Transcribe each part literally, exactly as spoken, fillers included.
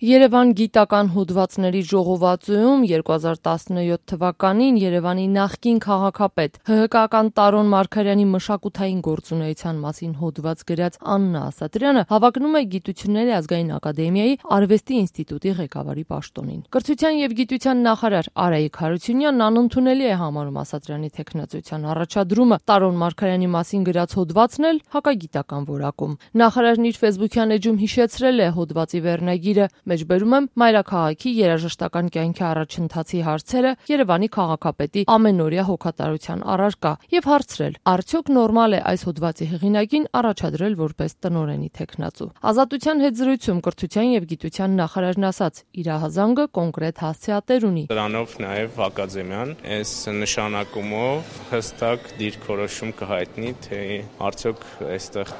Երևան գիտական հոդվածների ժողովածուում երկու հազար տասնյոթ թվականին Երևանի նախկին քաղաքապետ Հ Հ Կական Տարոն Մարգարյանի մշակութային գործունեության մասին հոդված գրած Աննա Ասատրյանը հավակնում է Գիտությունների ազգային ակադեմիայի Արվեստի ինստիտուտի ղեկավարի պաշտոնին։ Կրթության և գիտության նախարար Արայիկ Հարությունյանն անընդունելի է համարում Ասատրյանի թեկնածության առաջադրումը, Տարոն Մարգարյանի մասին գրած հոդվածն էլ հակագիտական որակում։ Նախարարն իր ֆեյսբուքյան էջում հիշեցրել է հոդվածի վերնագիրը, մեջբերում եմ մայրաքաղաքի երաժշտական կյանքի առաջընթացի հարցերը Երևանի քաղաքապետի ամենօրյա հոգատարության առարկա եւ հարցրել. արդյոք նորմալ է այս հոդվածի հեղինակին առաջադրել որպես տնօրենի թեկնածու։ Ազատության հետ զրույցում կրթության եւ գիտության նախարարն ասաց, իր հազանգը կոնկրետ հասցեատեր ունի։ Դրանով նաեւ ակադեմիան այս նշանակումով հստակ դիրքորոշում կհայտնի, թե արդյոք այստեղ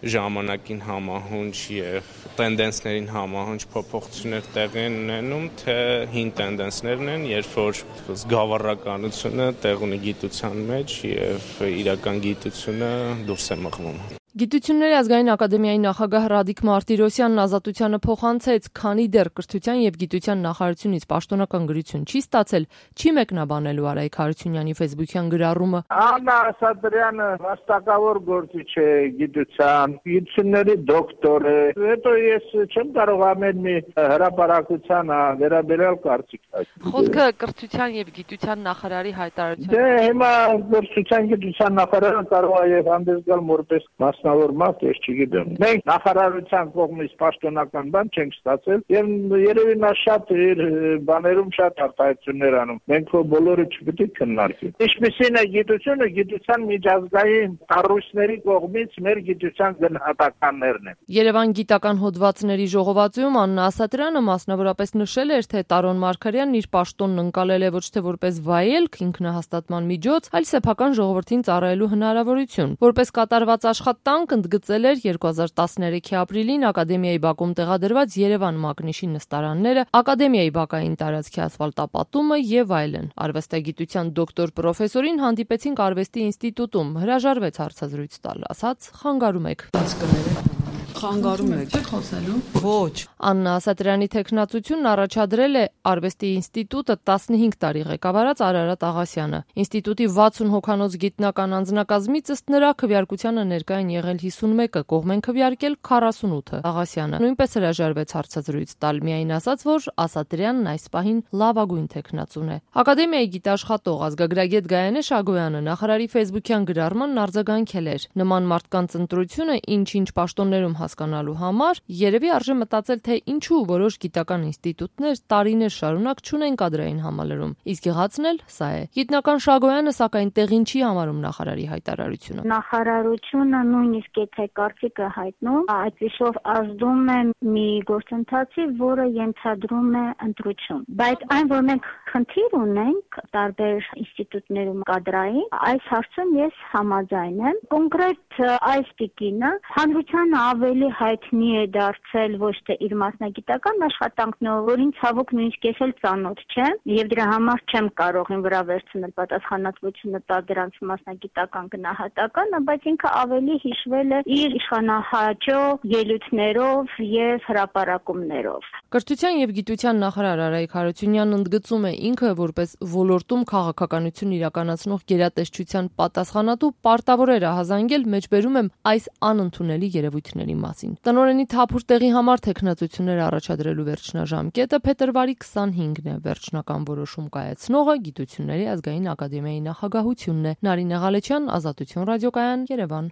ժամանակին համահունչ եւ տենդենսներին համահունչ փոփոխություններ տեղի են ունենում, թե հին տենդենսներն են, երբ որ զգավառականությունը տեղ ունի գիտության մեջ եւ իրական գիտությունը դուրս է մղվում։ Գիտությունների ազգային ակադեմիայի նախագահ Ռադիկ Մարտիրոսյանն Ազատությանը փոխանցեց, քանի դեռ կրթության եւ գիտության նախարարությունից պաշտոնական գրություն չի ստացել, չի մեկնաբանելու Արայիկ Հարությունյանի ֆեյսբուքյան գրառումը։ Աննա Ասատրյանը վաստակավոր գործիչ է գիտության, գիտությունների դոկտոր է։ Հետո ես չեմ կարող ամեն մի հրապարակության վերաբերյալ կարծիք տալ։ Խոսքը կրթության եւ գիտության նախարարի հայտարարության։ Դե հիմա կրթության գիտության նախարարը կարող է եւ հանդես գալ որպես մասնավոր մարդ, ես չգիտեմ։ Մենք նախարարության կողմից պաշտոնական բան չենք ստացել եւ երևի նա շատ իր բաներում շատ արտահայտություններ անում։ Մենք քո բոլորը չպետք է քննարկենք։ Ինչպիսին է գիտությունը, գիտության միջազգային կառույցների կողմից մեր գիտության գնահատականներն են։ Երևան գիտական հոդվածների ժողովածուում Աննա Ասատրյանը մասնավորապես նշել էր, թե Տարոն Մարգարյանն իր պաշտոնն ընկալել է ոչ թե որպես վայելք, ինքնահաստատման միջոց, այլ սեփական ժողովրդին ծառայելու հնարավորություն։ Որպես կատարված աշխատանք ընդգծել էր երկու հազար տասներեքի ապրիլին ակադեմիայի բակում տեղադրված Երևան մակնիշի նստարանները, ակադեմիայի բակային տարածքի ասֆալտապատումը եւ այլն։ Արվեստագիտության դոկտոր պրոֆեսորին հանդիպեցինք Արվեստի ինստիտուտում, հրաժարվեց հարցազրույց տալ, ասաց՝ խանգարում եք։ Խանգարում եք։ Չեք խոսելու։ Ոչ։ Աննա Ասատրյանի թեկնածությունն առաջադրել է Արվեստի ինստիտուտը տասնհինգ տարի ղեկավարած Արարատ Աղասյանը։ Ինստիտուտի վաթսուն հոգանոց գիտնական անձնակազմից ըստ նրա քվեարկությանը ներկա են եղել հիսունմեկը, կողմ են քվեարկել քառասունութը։ Աղասյանը նույնպես հրաժարվեց հարցազրույց տալ, միայն ասաց, որ Ասատրյանն այս պահին լավագույն թեկնածուն է։ Ակադեմիայի գիտաշխատող ազգագրագետ Գայանե Շագոյանը նախարարի ֆեյսբուքյան գրառմանն արձագանքել էր։ Նման մարդկանց ընտրությունը ինչ-ինչ պաշտոններում հասկանալու համար երևի արժե մտածել, թե ինչու որոշ գիտական ինստիտուտներ տարիներ շարունակ չունեն կադրային համալրում։ Իսկ եղածն էլ սա է։ Գիտնական Շագոյանը սակայն տեղին չի համարում նախարարի հայտարարությունը։ Նախարարությունը նույնիսկ եթե կարծիքը հայտնում, այդպիսով ազդում է մի գործընթացի, որը ենթադրում է ընտրություն։ Բայց այն, որ մենք խնդիր ունենք տարբեր ինստիտուտներում կադրային, այս հարցում ես համաձայն եմ։ Կոնկրետ այս տիկինը հանրությանը ավելի հայտնի է դարձել ոչ թե իր մասնագիտական աշխատանքներով, որին ցավոք նույնիսկ ես էլ ծանոթ չեմ, եւ դրա համար չեմ կարող ին վրա վերցնել պատասխանատվությունը տալ դրանց մասնագիտական գնահատականը, բայց ինքը ավելի հիշվել է իր իշխանահաճո ելույթներով եւ հրապարակումներով։ Կրթության եւ գիտության նախարար Արայիկ Հարությունյանն ընդգծում է ինքը որպես ոլորտում քաղաքականություն իրականացնող գերատեսչության պատասխանատու պարտավոր էր ահազանգել, մեջբերում եմ այս անընդունելի երևույթների մասին։ Տնօրենի թափուր տեղի համար թեկնածություններ առաջադրելու վերջնաժամկետը փետրվարի քսանհինգն է։ Վերջնական որոշում կայացնողը Գիտությունների ազգային ակադեմիայի նախագահությունն է։ Նարինե Ղալեչյան, Ազատություն ռադիոկայան, Երևան։